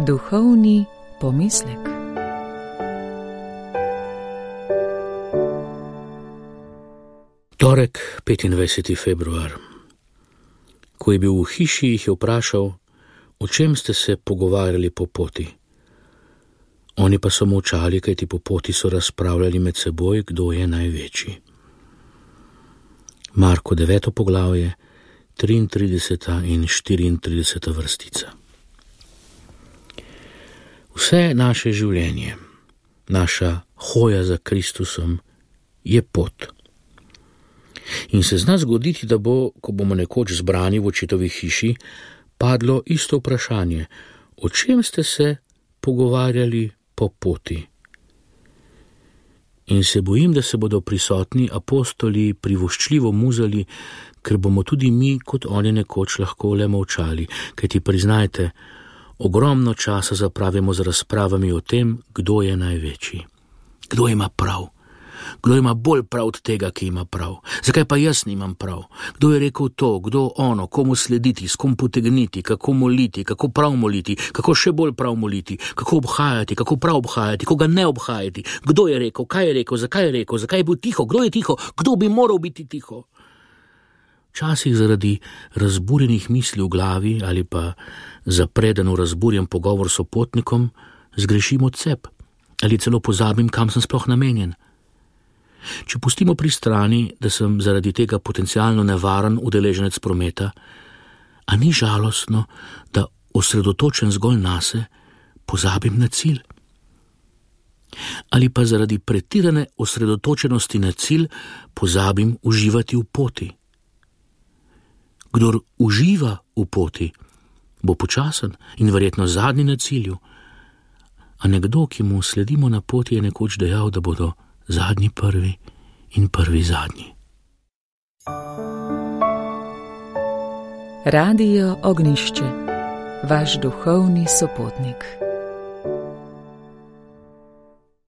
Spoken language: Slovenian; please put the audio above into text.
Duhovni pomislek. Torek, 25. februar. Ko je bil v hiši, jih je vprašal, o čem ste se pogovarjali po poti. Oni pa so molčali, kajti po poti so razpravljali med seboj, kdo je največji. Marko 9. poglavje, 33. in 34. vrstica. Vse naše življenje, naša hoja za Kristusom je pot. In se zna zgoditi, da bo, ko bomo nekoč zbrani v očetovi hiši, padlo isto vprašanje, o čem ste se pogovarjali po poti. In se bojim, da se bodo prisotni apostoli privoščljivo muzali, ker bomo tudi mi, kot oni nekoč, lahko le molčali, kajti priznajte, ogromno časa zapravimo z razpravami o tem, kdo je največji. Kdo ima prav? Kdo ima bolj prav od tega, ki ima prav? Zakaj pa jaz nimam prav? Kdo je rekel to, kdo ono, komu slediti, s kom potegniti, kako moliti, kako prav moliti, kako še bolj prav moliti, kako obhajati, kako prav obhajati, koga ne obhajati, kdo je rekel, kaj je rekel, zakaj je bil tiho, kdo je tiho, kdo bi moral biti tiho? Včasih zaradi razburjenih misli v glavi ali pa zapredeno razburjen pogovor s sopotnikom zgrešim odcep ali celo pozabim, kam sem sploh namenjen. Če pustimo pri strani, da sem zaradi tega potencialno nevaren udeleženec prometa, a ni žalostno, da osredotočen zgolj nase pozabim na cilj? Ali pa zaradi pretirane osredotočenosti na cilj pozabim uživati v poti? Kdor uživa v poti, bo počasen in verjetno zadnji na cilju, a nekdo, ki mu sledimo na poti, je nekoč dejal, da bodo zadnji prvi in prvi zadnji. Radio Ognjišče, vaš duhovni sopotnik.